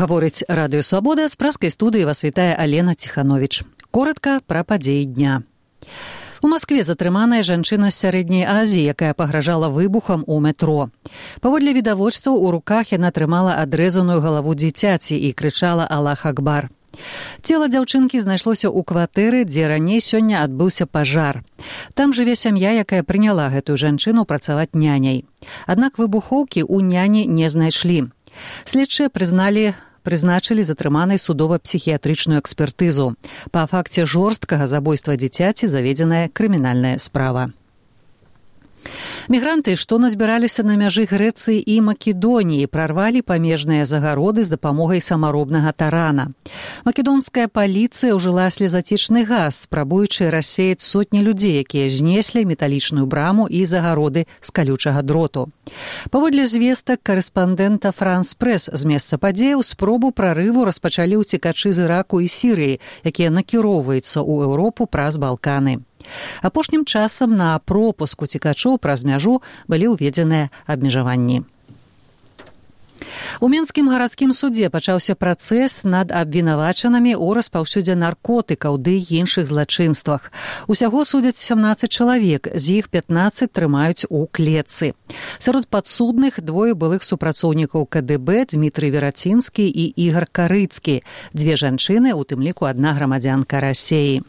Гаворыць Радыё Свабода, з праскай студыі вас вітае Алена Ціхановіч. Коротка пра падзеі дня. У Маскве затрыманая жанчына з сярэдняй Азіі, якая пагражала выбухам у метро. Паводле відавочцаў, у руках яна трымала адрэзаную галаву дзіцяці і крычала «Аллах Акбар». Цела дзяўчынкі знайшлося ў кватэры, дзе раней сёння адбыўся пажар. Там жыве сям'я, якая прыняла гэтую жанчыну працаваць няняй. Аднак выбухоўкі ў няні не знайшлі. Следчыя прызначылі затрыманай судова-псіхіятрычную экспертызу. Па факце жорсткага забойства дзіцяці заведзеная крымінальная справа. Мігранты, што назбіраліся на мяжы Грэцыі і Македоніі, прарвалі памежныя загароды з дапамогай самаробнага тарана. Македонская паліцыя ўжыла слезацічны газ, спрабуючы рассеяць сотні людзей, якія знеслі металічную браму і загароды з калючага дроту. Паводле звестак карэспандэнта «Франс Прэс» з месца падзеяў, спробу прарыву распачалі ўцекачы з Іраку і Сірыі, якія накіроўваюцца ў Еўропу праз Балканы. Апошнім часам на пропуск уцекачоў праз мяжу былі ўведзеныя абмежаванні. У Менскім гарадскім судзе пачаўся працэс над абвінавачанымі ў распаўсюдзе наркотыкаў ды іншых злачынствах. Усяго судзяць 17 чалавек, з іх 15 трымаюць у клетцы. Сярод падсудных двое былых супрацоўнікаў КДБ Дмітрый Верацінскі і Ігор Карыцкі, дзве жанчыны, у тым ліку адна грамадзянка Расеі.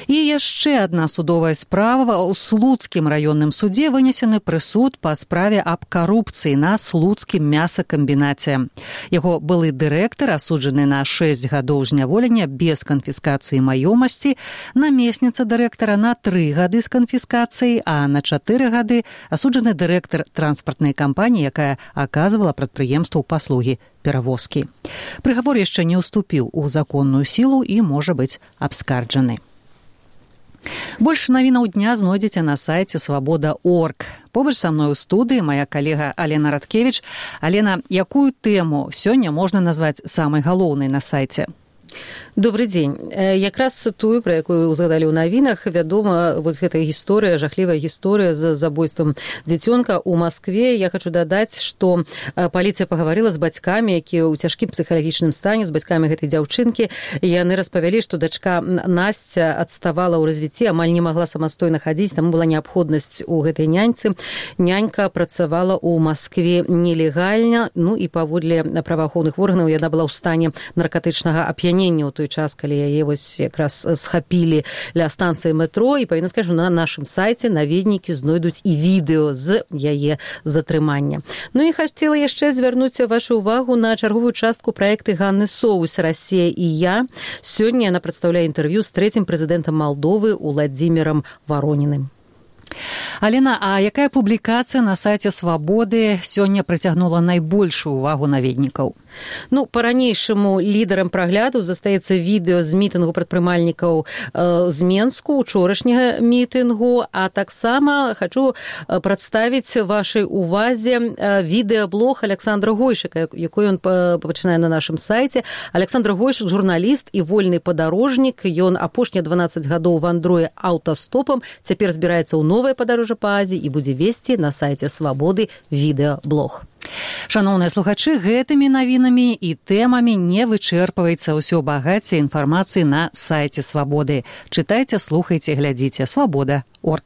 І яшчэ адна судовая справа. У Слуцкім раённым судзе вынесены прысуд па справе аб карупцыі на Слуцкім мясакамбінаце. Яго былы дырэктар асуджаны на 6 гадоў зняволення без канфіскацыі маёмасці, намесніца дырэктара на 3 гады з канфіскацыяй, а на 4 гады асуджаны дырэктар транспартнай кампаніі, якая аказвала прадпрыемству паслугі перавозкі. Прыгавор яшчэ не ўступіў у законную сілу і можа быць абскарджаны. Больш навінаў дня знойдзеце на сайце свабода.орг. Побач са мной у студыі мая калега Алена Радкевіч. Алена, якую тэму сёння можна назваць самай галоўнай на сайце? Добрый дзень. Якраз тую, пра якую узгадалі ў навінах, вядома, вось гэтая гісторыя, жахлівая гісторыя з забойствам дзіцёнка ў Маскве. Я хочу дадаць, што паліцыя пагаварыла з бацькамі, якія ў цяжкім псіхалагічным стане, з бацькамі гэтай дзяўчынкі. Яны распавялі, што дачка Насця адставала ў развіцці, амаль не магла самастойна хадзіць, таму была неабходнасць у гэтай няньцы. Нянька працавала ў Маскве нелегальна, ну і паводле праваахоўных органаў яна была ў стане наркатычнага ап'янення ў той час, калі яе вось якраз схапілі ля станцыі метро, і павінна сказаць, што на нашым сайце наведнікі знойдуць і відэо з яе затрымання. Ну і хацела яшчэ звярнуць вашу увагу на чарговую частку праекты Ганны Соус «Расія і я». Сёння яна прадстаўляе інтэрв'ю з трэцім прэзідэнтам Малдовы Уладзімірам Вароніным. Алена, а якая публікацыя на сайце Свабоды сёння прыцягнула найбольшую увагу наведнікаў? Ну, па-ранейшаму лідарам праглядаў застаецца відэо з мітынгу прадпрымальнікаў з Менску, учорашняга мітынгу, а таксама хачу прадставіць вашай увазе відэаблог Александра Гойшыка, якой ён пачынае на нашым сайце. Александр Гойшык – журналіст і вольны падарожнік. Ён апошнія 12 гадоў вандруе аўтастопам, цяпер збіраецца ў новае падарожжа па Азіі і будзе весці на сайце Свабоды відэаблог. Шаноўныя слухачы, гэтымі навінамі і тэмамі не вычэрпваецца ўсё багацце інфармацыі на сайце Свабоды. Чытайце, слухайце, глядзіце. Свабода.орг.